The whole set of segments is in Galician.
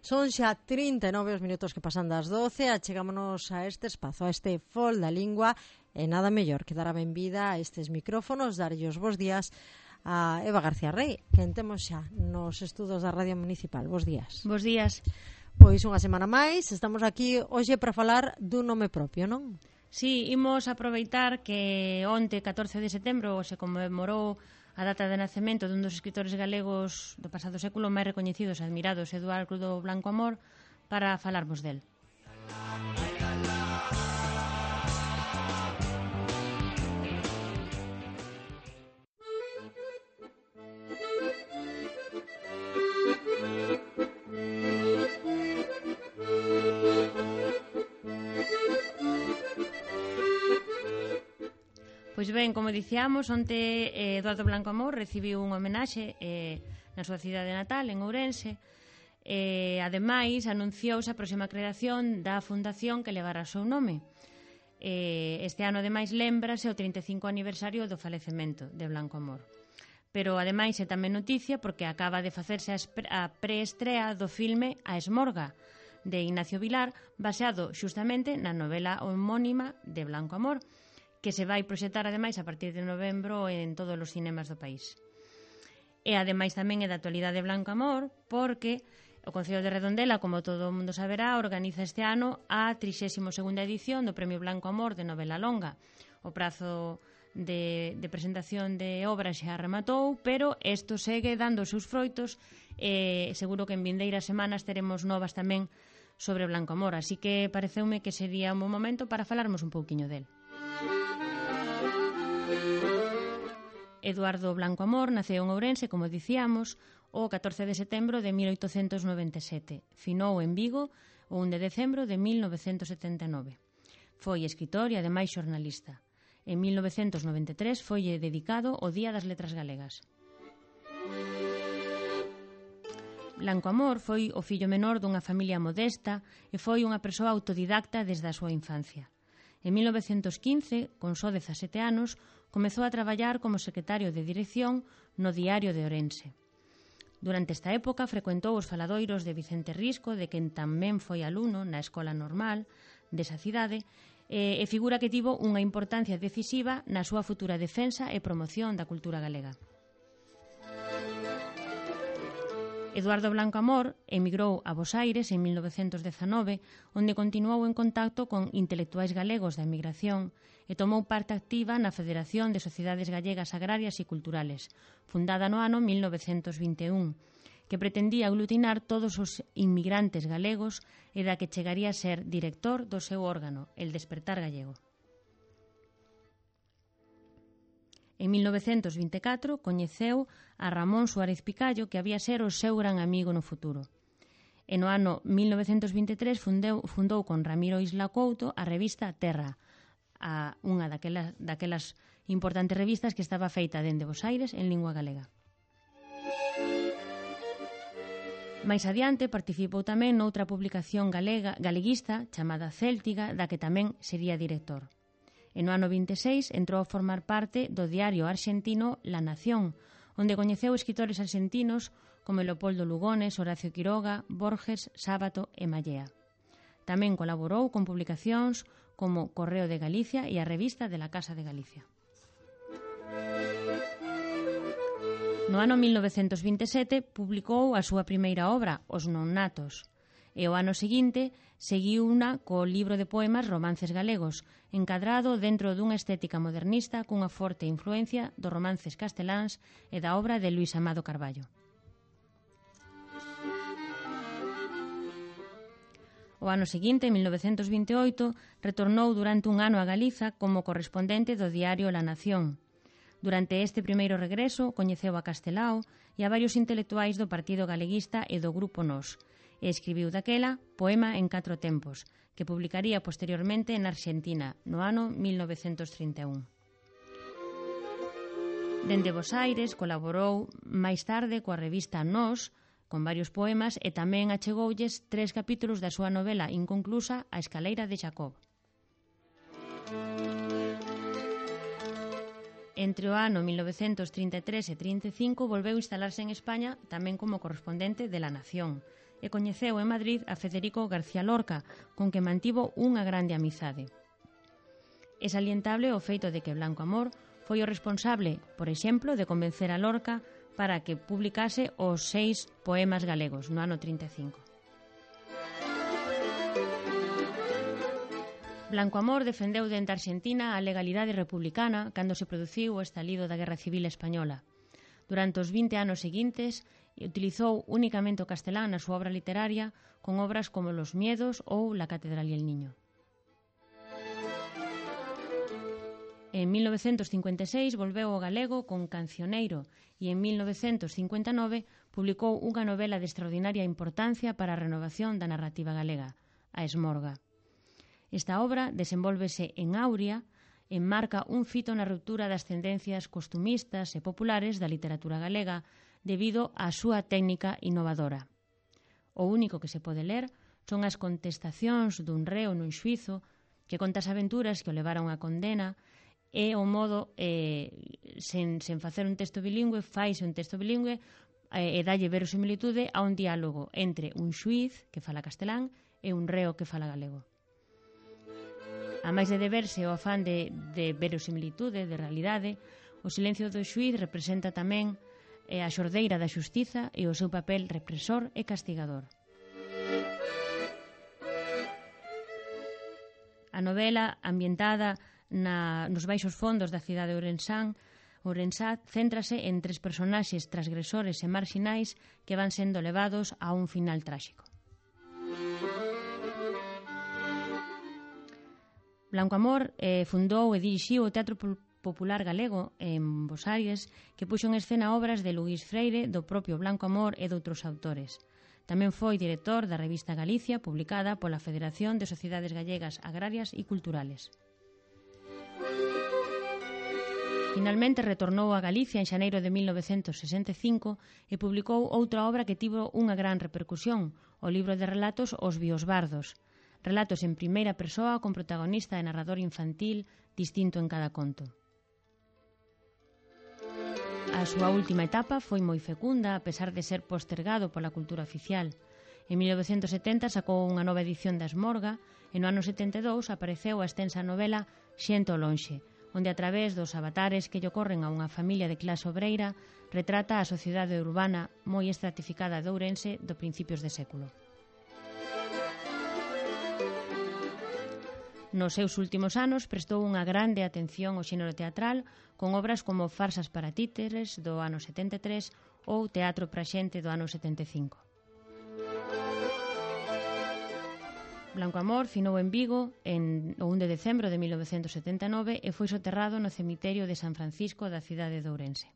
Son xa 39 os minutos que pasan das 12, achegámonos a este espazo, a este Fol da Lingua, e nada mellor que dar a benvida a estes micrófonos, darlle os bos días a Eva García Rey, que temos xa nos estudos da Radio Municipal. Bos días. Bos días. Pois unha semana máis, estamos aquí hoxe para falar dun nome propio, non? Sí, imos aproveitar que onte, 14 de setembro, se conmemorou a data de nacemento dun dos escritores galegos do pasado século máis recoñecidos e admirados, Eduardo Blanco Amor, para falarmos del. Pois ben, como dicíamos, onte Eduardo Blanco Amor recibiu un homenaxe na súa cidade natal, en Ourense. Ademais, anunciouse a próxima creación da fundación que levará o seu nome. Este ano, ademais, lembrase o 35 aniversario do falecemento de Blanco Amor. Pero, ademais, é tamén noticia porque acaba de facerse a preestrea do filme A Esmorga, de Ignacio Vilar, baseado xustamente na novela homónima de Blanco Amor, que se vai proxectar, ademais, a partir de novembro en todos os cinemas do país. E, ademais, tamén é da actualidade Blanco Amor, porque o Concello de Redondela, como todo o mundo saberá, organiza este ano a 32ª edición do Premio Blanco Amor de novela longa. O prazo de presentación de obras xa rematou, pero isto segue dando os seus froitos e seguro que en vindeiras semanas teremos novas tamén sobre Blanco Amor, así que pareceume que sería un bom momento para falarmos un pouquiño del. Eduardo Blanco Amor naceu en Ourense, como dicíamos, o 14 de setembro de 1897. Finou en Vigo o 1 de decembro de 1979. Foi escritor e, ademais, xornalista. En 1993 foi dedicado o Día das Letras Galegas. Blanco Amor foi o fillo menor dunha familia modesta e foi unha persoa autodidacta desde a súa infancia. En 1915, con só 17 anos, comezou a traballar como secretario de dirección no Diario de Ourense. Durante esta época frecuentou os faladoiros de Vicente Risco, de quen tamén foi alumno na Escola Normal desa cidade, e figura que tivo unha importancia decisiva na súa futura defensa e promoción da cultura galega. Eduardo Blanco Amor emigrou a Bos Aires en 1919, onde continuou en contacto con intelectuais galegos da emigración e tomou parte activa na Federación de Sociedades Gallegas Agrarias e Culturales, fundada no ano 1921, que pretendía aglutinar todos os inmigrantes galegos e da que chegaría a ser director do seu órgano, El Despertar Gallego. En 1924 coñeceu a Ramón Suárez Picallo, que había ser o seu gran amigo no futuro. E no ano 1923 fundou con Ramiro Isla Couto a revista Terra, unha daquelas importantes revistas que estaba feita dende Bos Aires en lingua galega. Mais adiante participou tamén noutra publicación galeguista chamada Céltiga, da que tamén sería director. E no ano 26 entrou a formar parte do diario arxentino La Nación, onde coñeceu escritores arxentinos como Leopoldo Lugones, Horacio Quiroga, Borges, Sábato e Mallea. Tamén colaborou con publicacións como Correo de Galicia e a revista de la Casa de Galicia. No ano 1927 publicou a súa primeira obra, Os Nonnatos, e o ano seguinte seguiu unha co libro de poemas Romances Galegos, encadrado dentro dunha estética modernista cunha forte influencia dos romances casteláns e da obra de Luís Amado Carballo. O ano seguinte, en 1928, retornou durante un ano a Galiza como correspondente do diario La Nación. Durante este primeiro regreso, coñeceu a Castelao e a varios intelectuais do Partido Galeguista e do Grupo Nós, e escribiu daquela Poema en 4 tempos, que publicaría posteriormente en Argentina, no ano 1931. Dende Bos Aires colaborou máis tarde coa revista Nós, con varios poemas, e tamén achegoulles 3 capítulos da súa novela inconclusa A Escaleira de Jacob. Entre o ano 1933 e 35 volveu instalarse en España tamén como correspondente de La Nación e coñeceu en Madrid a Federico García Lorca, con que mantivo unha grande amizade. É salientable o feito de que Blanco Amor foi o responsable, por exemplo, de convencer a Lorca para que publicase os 6 poemas galegos no ano 35. Blanco Amor defendeu dende Argentina a legalidade republicana cando se produciu o estalido da Guerra Civil Española. Durante os 20 anos seguintes, utilizou únicamente o castelán na súa obra literaria con obras como Los Miedos ou La Catedral y el Niño. En 1956 volveu ao galego con Cancioneiro e en 1959 publicou unha novela de extraordinaria importancia para a renovación da narrativa galega, A Esmorga. Esta obra desenvólvese en Auria, enmarca un fito na ruptura das tendencias costumistas e populares da literatura galega debido á súa técnica innovadora. O único que se pode ler son as contestacións dun reo nun xuizo que conta as aventuras que o levaron á condena e o modo, sen facer un texto bilingüe, faise un texto bilingüe e dalle verosimilitude a un diálogo entre un xuiz que fala castelán e un reo que fala galego. A máis de deberse o afán de verosimilitude, de realidade, o silencio do xuiz representa tamén a xordeira da xustiza e o seu papel represor e castigador. A novela, ambientada nos baixos fondos da cidade de Ourensá, céntrase en 3 personaxes transgresores e marxinais que van sendo levados a un final tráxico. Blanco Amor fundou e dirixiu o Teatro Popular Galego en Bos Aires, que puxo en escena obras de Luís Freire, do propio Blanco Amor e doutros autores. Tamén foi director da revista Galicia, publicada pola Federación de Sociedades Gallegas Agrarias e Culturales. Finalmente retornou a Galicia en xaneiro de 1965 e publicou outra obra que tivo unha gran repercusión, o libro de relatos Os Biosbardos, relatos en primeira persoa con protagonista e narrador infantil distinto en cada conto. A súa última etapa foi moi fecunda, a pesar de ser postergado pola cultura oficial. En 1970 sacou unha nova edición da Esmorga e no ano 72 apareceu a extensa novela Xente ao lonxe, onde a través dos avatares que lle ocorren a unha familia de clase obreira retrata a sociedade urbana moi estratificada de Ourense do principios de século. Nos seus últimos anos prestou unha grande atención ao xénero teatral con obras como Farsas para títeres do ano 73 ou Teatro para xente do ano 75. Blanco Amor finou en Vigo o 1 de decembro de 1979 e foi soterrado no cemiterio de San Francisco da cidade de Ourense.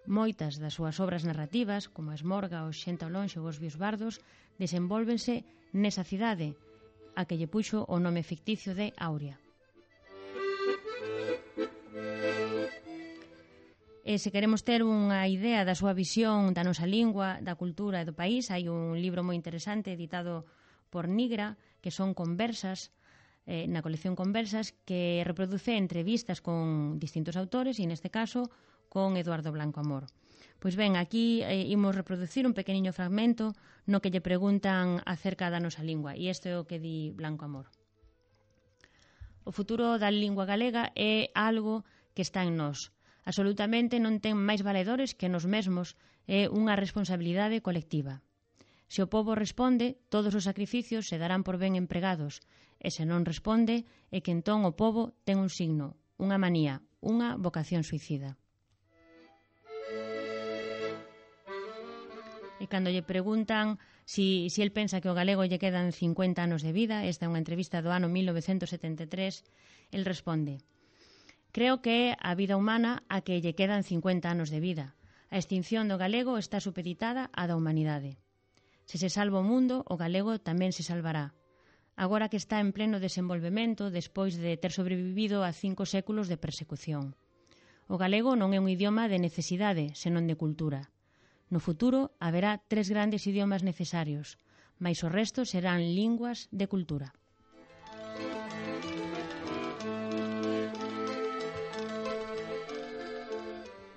Moitas das súas obras narrativas, como a Esmorga, o Xente ao lonxe ou os Biosbardos, desenvólvense nesa cidade, a que lle puxo o nome ficticio de Auria. E se queremos ter unha idea da súa visión da nosa lingua, da cultura e do país, hai un libro moi interesante editado por Nigra, que son conversas, na colección Conversas, que reproduce entrevistas con distintos autores e neste caso con Eduardo Blanco Amor. Pois ben, aquí imos reproducir un pequeniño fragmento no que lle preguntan acerca da nosa lingua, e isto é o que di Blanco Amor. O futuro da lingua galega é algo que está en nós. Absolutamente non ten máis valedores que nos mesmos, é unha responsabilidade colectiva. Se o pobo responde, todos os sacrificios se darán por ben empregados, e se non responde, é que entón o pobo ten un signo, unha manía, unha vocación suicida. E cando lle preguntan si el pensa que o galego lle quedan 50 anos de vida, esta é unha entrevista do ano 1973, el responde: creo que é a vida humana a que lle quedan 50 anos de vida. A extinción do galego está supeditada á da humanidade. Se se salva o mundo, o galego tamén se salvará. Agora que está en pleno desenvolvemento despois de ter sobrevivido a 5 séculos de persecución. O galego non é un idioma de necesidade, senón de cultura. No futuro haberá 3 grandes idiomas necesarios, mais o resto serán linguas de cultura.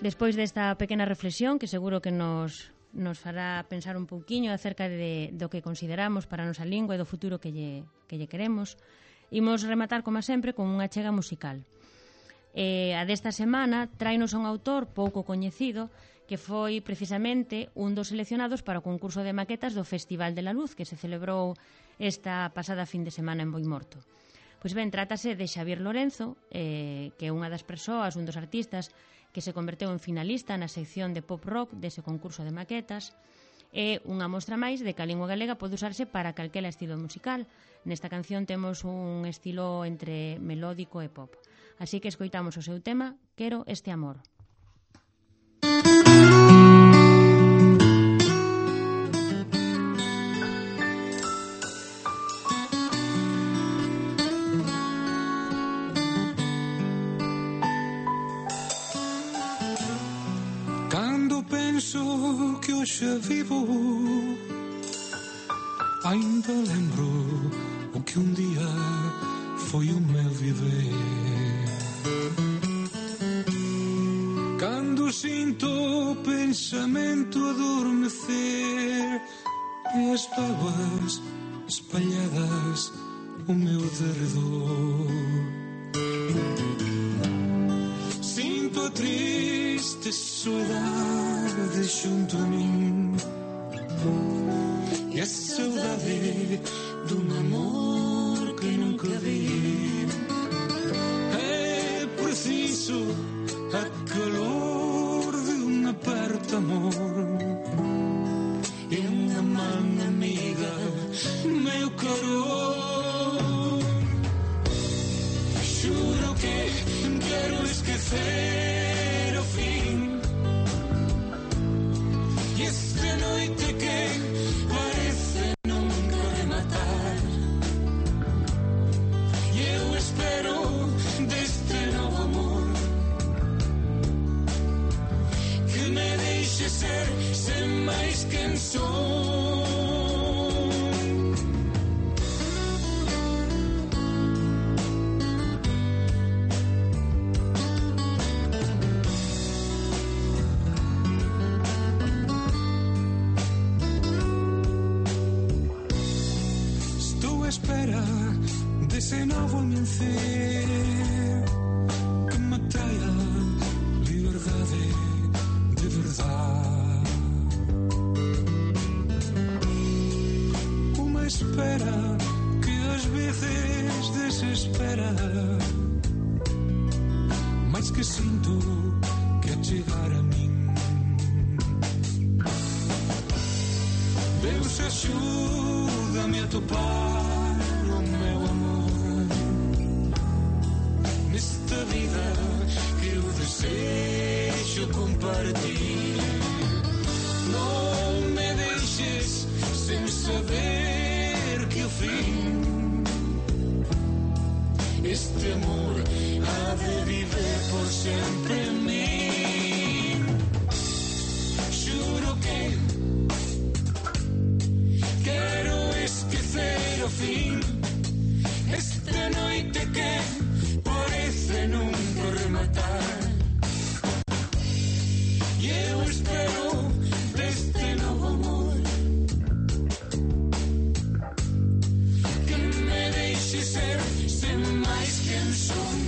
Despois desta pequena reflexión, que seguro que nos nos fará pensar un pouquiño acerca do que consideramos para a nosa lingua e do futuro que lle queremos. Imos rematar, como sempre, con unha achega musical. A desta semana trainos un autor pouco coñecido que foi precisamente un dos seleccionados para o concurso de maquetas do Festival de la Luz que se celebrou esta pasada fin de semana en Boimorto. Pois ben, trátase de Xavier Lorenzo, que é unha das persoas, un dos artistas que se converteu en finalista na sección de pop rock dese concurso de maquetas. É unha mostra máis de que a lingua galega pode usarse para calquera estilo musical. Nesta canción temos un estilo entre melódico e pop. Así que escoitamos o seu tema, Quero este amor. Que hoxe vivo, ainda lembro o que un día foi o meu viver. Cando sinto o pensamento adormecer e as bábuas espalhadas o meu derredor, sinto a triste soedade xunto a min e a saudade dun amor que nunca vi. É preciso a calor de un aperto amor e unha man amiga, meu caro. Xuro que quero esquecer o fin e esta noite que parece nunca rematar. E eu espero deste novo amor que me deixe ser sen máis quen son. Espera dese novo amencer que me traia liberdade de verdade. Uma espera que ás veces desespera, mas que sinto que a chegar a min Deus axúdame a topar vida que eu desejo compartir. Non me deixes sen saber que o fin este amor ha de viver por sempre en mí. Xuro que quero esquecer o fin esta noite que parece nunca rematar. E eu espero deste novo amor que me deixe ser sen máis quen son.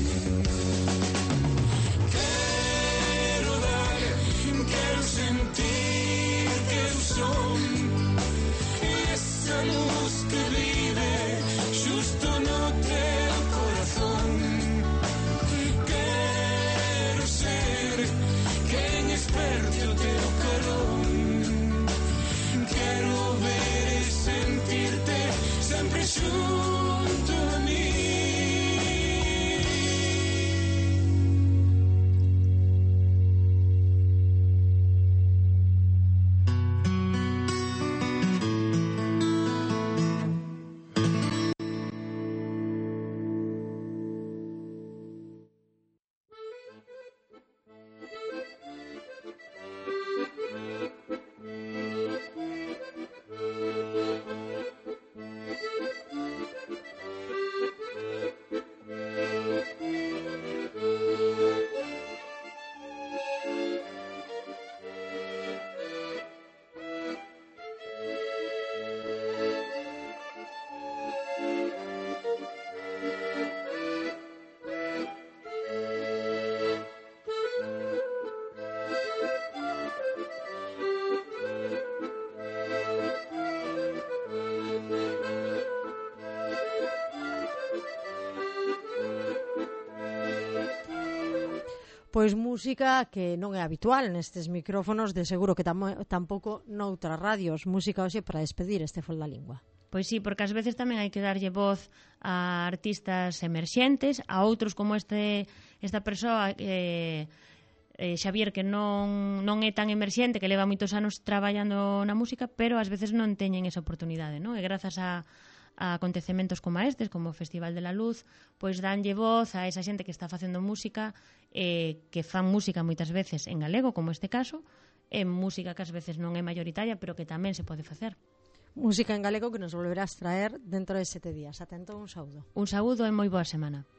Pois música que non é habitual nestes micrófonos, de seguro que tampouco noutras radios, música hoxe para despedir este Fol da Lingua. Pois sí, porque ás veces tamén hai que darlle voz a artistas emerxentes, a outros como esta persoa Xavier, que non é tan emerxente, que leva moitos anos traballando na música, pero ás veces non teñen esa oportunidade, non? E grazas a acontecementos como estes, como o Festival de la Luz, pois danlle voz a esa xente que está facendo música, que fan música moitas veces en galego, como este caso, e música que ás veces non é mayoritaria, pero que tamén se pode facer. Música en galego que nos volverás traer dentro de 7 días. Atento, un saúdo. Un saúdo e moi boa semana.